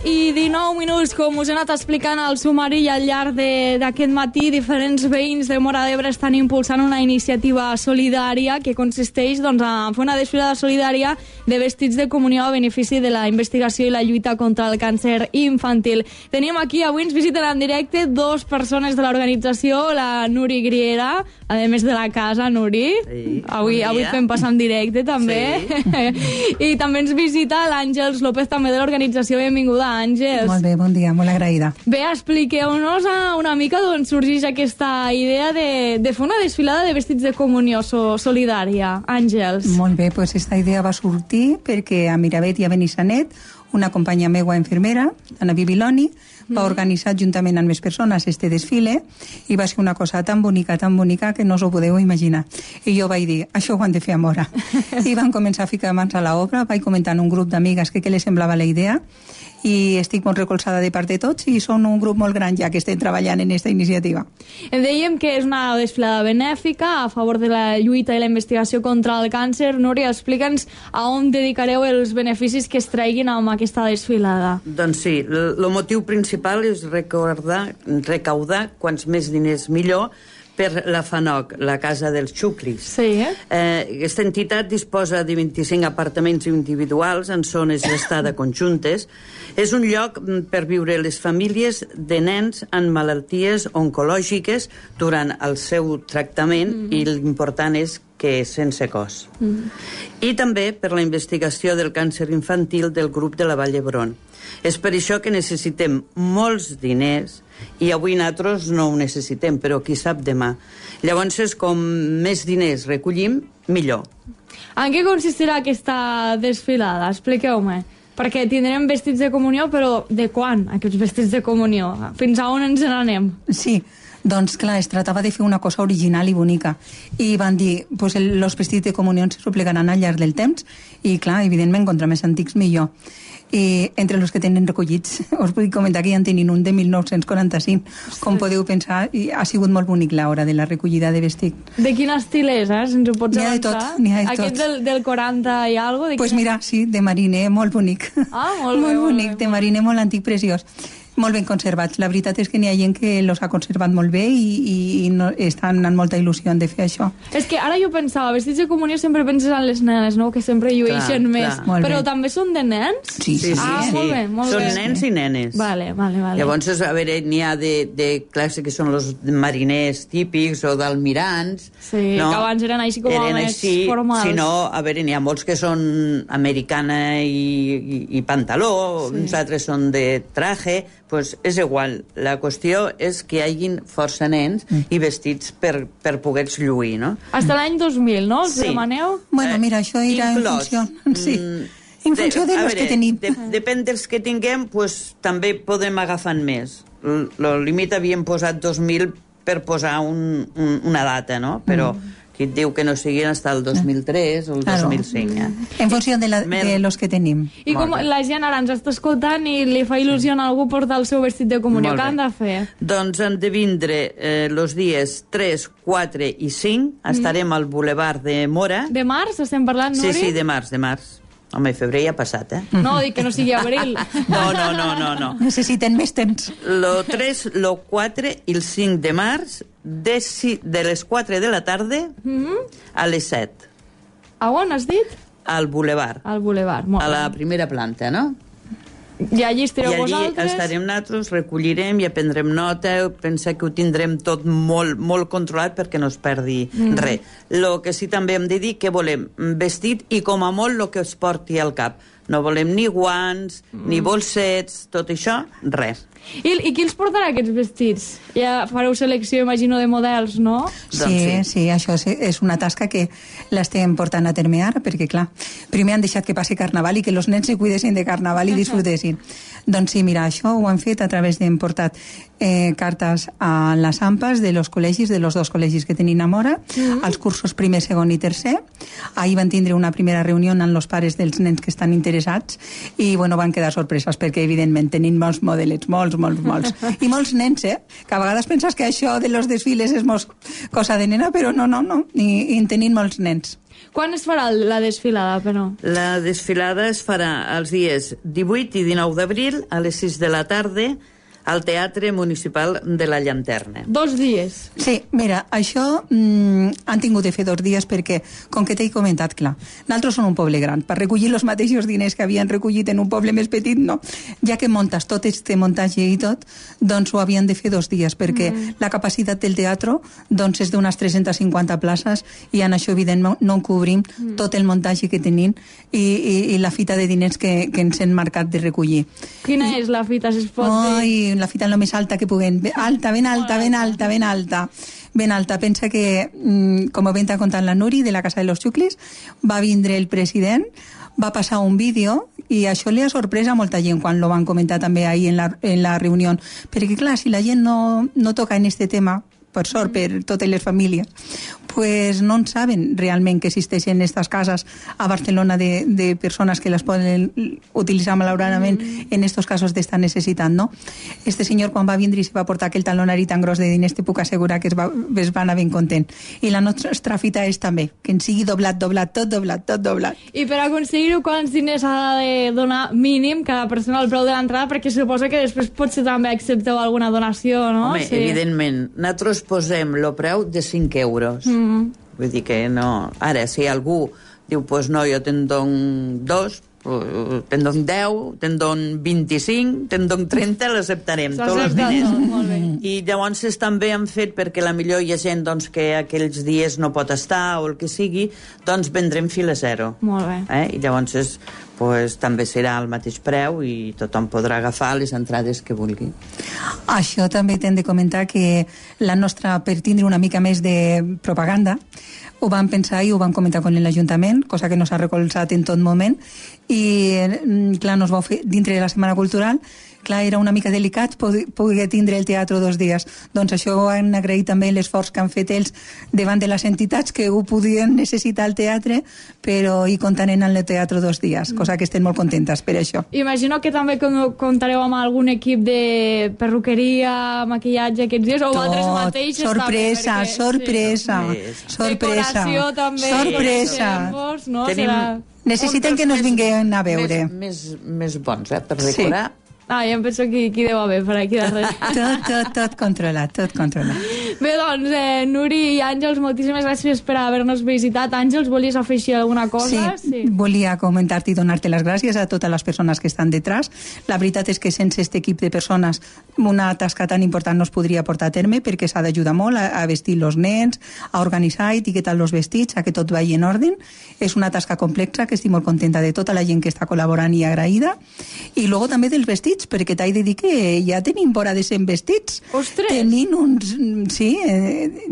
11:19, com us he anat explicant al sumari i al llarg d'aquest matí, diferents veïns de Móra d'Ebre estan impulsant una iniciativa solidària que consisteix a fer una desfilada solidària de vestits de comunió a benefici de la investigació i la lluita contra el càncer infantil. Tenim aquí, avui ens visiten en directe dos persones de l'organització, la Nuri Griera, a més de la casa, Nuri. Sí, avui fem passar en directe, també. Sí. I també ens visita l'Àngels López, també de l'organització. Benvinguda, Àngels. Molt bé, bon dia, molt agraïda. Bé, expliqueu-nos una mica d'on sorgeix aquesta idea de fer una desfilada de vestits de comunió solidària. Àngels. Molt bé, doncs aquesta idea va sortir perquè a Miravet i a Benissanet una companya meua infermera, Ana Bibiloni, va organitzar juntament amb més persones este desfile i va ser una cosa tan bonica que no us ho podeu imaginar. I jo vaig dir, això ho han de fer a Móra. I van començar a ficar mans a l'obra, vaig comentar en un grup d'amigues què les semblava la idea i estic molt recolzada de part de tots i són un grup molt gran ja que estem treballant en aquesta iniciativa. Dèiem que és una desfilada benèfica a favor de la lluita i la investigació contra el càncer. Núria, explica'ns a on dedicareu els beneficis que es treguin amb aquesta desfilada. Doncs sí, el motiu principal és recaudar quants més diners millor per la FANOC, la Casa dels Xuclis. Sí, Aquesta entitat disposa de 25 apartaments individuals en zones d'estada conjuntes. És un lloc per viure les famílies de nens amb malalties oncològiques durant el seu tractament i l'important és que és sense cost. I també per la investigació del càncer infantil del grup de la Vall d'Hebron. És per això que necessitem molts diners i avui nosaltres no ho necessitem, però qui sap demà. Llavors, com més diners recollim, millor. En què consistirà aquesta desfilada? Expliqueu-me. Perquè tindrem vestits de comunió, però de quan, aquests vestits de comunió? Fins a on ens n'anem? Sí, doncs clar, es tractava de fer una cosa original i bonica. I van dir, pues els vestits de comunió se replegaran al llarg del temps i clar, evidentment, contra més antics millor. I entre els que tenen recollits us vull comentar que ja en tenim un de 1945. Com podeu pensar, ha sigut molt bonic l'hora de la recollida de vestit. De quin estil és, Si ens ho pots avançar? N'hi ha de tot, n'hi ha de tot. Aquest del 40 i alguna cosa? Pues mira, sí, de mariner, molt bonic. Ah, molt bé. Molt bonic, de mariner, molt antic, preciós. Molt ben conservats. La veritat és que n'hi ha gent que els ha conservat molt bé i no, estan amb molta il·lusió de fer això. És que ara jo pensava, vestits de comunió sempre penses en les nenes, no? Que sempre llueixen més. Però també són de nens? Sí. Molt bé, molt bé. Són nens i nenes. Vale. Llavors, a veure, n'hi ha de classe que són els mariners típics o d'almirants. Sí, no? que abans eren així com més formals. Si no, a veure, n'hi ha molts que són americana i pantaló, uns altres són de traje, pues és igual. La qüestió és que hi hagin força nens i vestits per poder-los lluir, no? Hasta l'any 2000, no? Els demaneu? Bueno, mira, això era en funció... Sí. En funció de los que tenim. Depèn dels que tinguem, pues, també podem agafar més. El límit havíem posat 2000 per posar una data, no? Però qui et diu que no siguin fins el 2003 o el 2005. En funció de los que tenim. I com la gent ara ens està escoltant i li fa il·lusió a algú portar el seu vestit de comunió, què han de fer? Doncs han de vindre els dies 3, 4 i 5. Estarem al Boulevard de Móra. De març estem parlant, Nuri? Sí, de març. Home, febrer ja ha passat, No, dic que no sigui abril. No. Necessiten més temps. El 3, el 4 i el 5 de març, de les 4 de la tarda a les 7. A on has dit? Al Boulevard. Al Boulevard, molt bé. A la primera planta, no? I allí estareu vosaltres? I allí estarem nosaltres, recollirem i prendrem nota, pensa que ho tindrem tot molt controlat perquè no es perdi res. El que sí també hem de dir que volem vestit i com a molt el que es porti al cap. No volem ni guants, ni bolsets, tot això, res. I qui els portarà aquests vestits? Ja fareu selecció, imagino, de models, no? Sí, això és una tasca que l'estem portant a terme ara, perquè, clar, primer han deixat que passi Carnaval i que els nens se cuidessin de Carnaval i disfrutessin. Doncs sí, mira, això ho han fet a través d'hem portat cartes a les AMPAs de los col·legis, de los dos col·legis que tenim a Móra, als cursos primer, segon i tercer. Ahir van tindre una primera reunió amb els pares dels nens que estan interessats i, bueno, van quedar sorpreses perquè, evidentment, tenim molts modelets, molts molts. I molts nens, que a vegades penses que això de los desfiles és cosa de nena, però no, i en tenim molts nens. Quan es farà la desfilada, però? La desfilada es farà els dies 18 i 19 d'abril a les 6 de la tarda al Teatre Municipal de la Llanterna. 2 dies. Sí, mira, això han tingut de fer 2 dies perquè, com que t'he comentat, clar, nosaltres som un poble gran, per recollir els mateixos diners que havien recollit en un poble més petit, no. Ja que montes tot este muntatge i tot, doncs ho havien de fer 2 dies, perquè la capacitat del teatre doncs és d'unes 350 places i en això, evidentment, no cobrim tot el muntatge que tenim i la fita de diners que ens hem marcat de recollir. Quina és la fita, si es pot dir? La fita el més alta que puguem. Alta, ben alta. Pensa que, com ho venta contant la Nuri, de la Casa de los Xuclis, va vindre el president, va passar un vídeo i això li ha sorprès a molta gent quan lo van comentar també ahir en la reunió. Perquè, clar, si la gent no toca en este tema, per sort, per totes les famílies, pues no en saben realment que existeixen estas cases a Barcelona de persones que les poden utilitzar malauradament en estos casos d'esta necessitat, no? Este senyor, quan va vindre i se va portar aquell talonari tan gros de diners, te puc assegurar que es va anar ben content. I la nostra fita és també, que en sigui doblat. I per aconseguir-ho, quants diners ha de donar mínim cada persona al preu de l'entrada? Perquè suposo que després potser també accepteu alguna donació, no? Home, sí. Evidentment. Nosaltres posem el preu de 5 euros. Vull dir que no... Ara, si algú diu, pues no, jo te'n don 2, te'n don 10, te'n don 25, te'n don 30, l'acceptarem, tots els diners. I llavors també han fet, perquè la millor hi ha gent doncs, que aquells dies no pot estar o el que sigui, doncs vendrem fil a zero. Molt bé. I llavors pues, també serà al mateix preu i tothom podrà agafar les entrades que vulgui. Això també t'hem de comentar que la nostra, per tindre una mica més de propaganda, ho vam pensar i ho vam comentar amb l'Ajuntament, cosa que no s'ha recolzat en tot moment, i clar, no es va fer dintre de la Setmana Cultural. Clar, era una mica delicat poder tindre el teatre 2 dies. Doncs això ho han agraït també l'esforç que han fet ells davant de les entitats que ho podien necessitar al teatre, però hi comptaran en el teatre 2 dies, cosa que estem molt contentes per això. Imagino que també comptareu amb algun equip de perruqueria, maquillatge aquests dies, o vosaltres mateixes sorpresa, també, decoració també, tempos, no? Necessiten que nos vinguin a veure. Més bons, per decorar. Sí. Ja em penso qui deu haver per aquí darrere. Tot controlat. Bé, doncs, Nuri i Àngels, moltíssimes gràcies per haver-nos visitat. Àngels, volies afegir alguna cosa? Sí, volia comentar-te i donar-te les gràcies a totes les persones que estan detrás. La veritat és que sense aquest equip de persones una tasca tan important no es podria portar a terme, perquè s'ha d'ajudar molt a vestir els nens, a organitzar, a etiquetar els vestits, a que tot vagi en ordre. És una tasca complexa que estic molt contenta de tota la gent que està col·laborant i agraïda. I luego també dels vestits, perquè t'he de dir que ja tenim vora de 100 vestits. Ostres!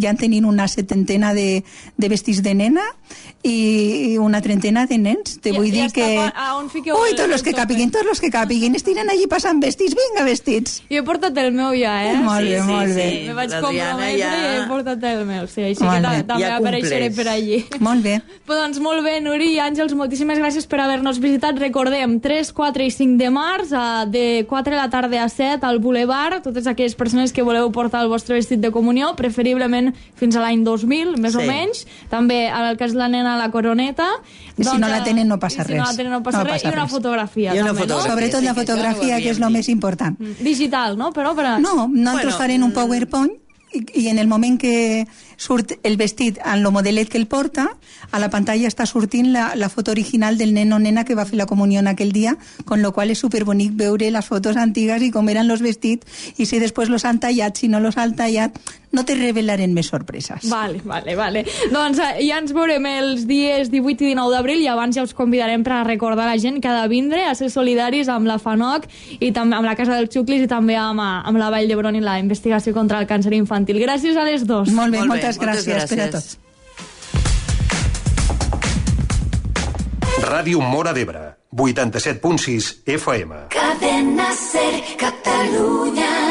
Ja en tenim una 70 de vestits de nena i una 30 de nens. Te vull dir que... Ui, tots els que capiguin, estiren allí passant vestits, vinga, vestits. Jo he portat el meu ja, Molt bé. Me vaig comprometre i he portat el meu, sí, així que també apareixeré per allí. Molt bé. Doncs molt bé, Nuri i Àngels, moltíssimes gràcies per haver-nos visitat. Recordem, 3, 4 i 5 de març, de 4 de la tarda a 7 al Boulevard, totes aquelles persones que voleu portar el vostre vestit de comunió, preferiblement fins a l'any 2000, més o menys. També, en el cas de la nena, la coroneta. Si no la tenen no passa res. I una fotografia. Sobretot la fotografia, que és el més important. Digital, no? No, nosaltres farem un PowerPoint i en el moment que surt el vestit en el modelet que el porta, a la pantalla està sortint la foto original del nen o nena que va fer la comunió aquell dia, con lo qual és superbonic veure les fotos antigues i com eren els vestits, i si després los han tallat, si no los han tallat, no te revelarem més sorpreses. Vale. Doncs ja ens veurem els dies 18 i 19 d'abril i abans ja us convidarem per a recordar la gent que ha de vindre a ser solidaris amb la FANOC i també amb la Casa dels Xuclis i també amb la Vall d'Hebron i la investigació contra el càncer infantil. Gràcies a les dos. Molt bé, moltes gràcies per a tots. Ràdio Móra d'Ebre, 87.6 FM. Cadena Ser, Catalunya.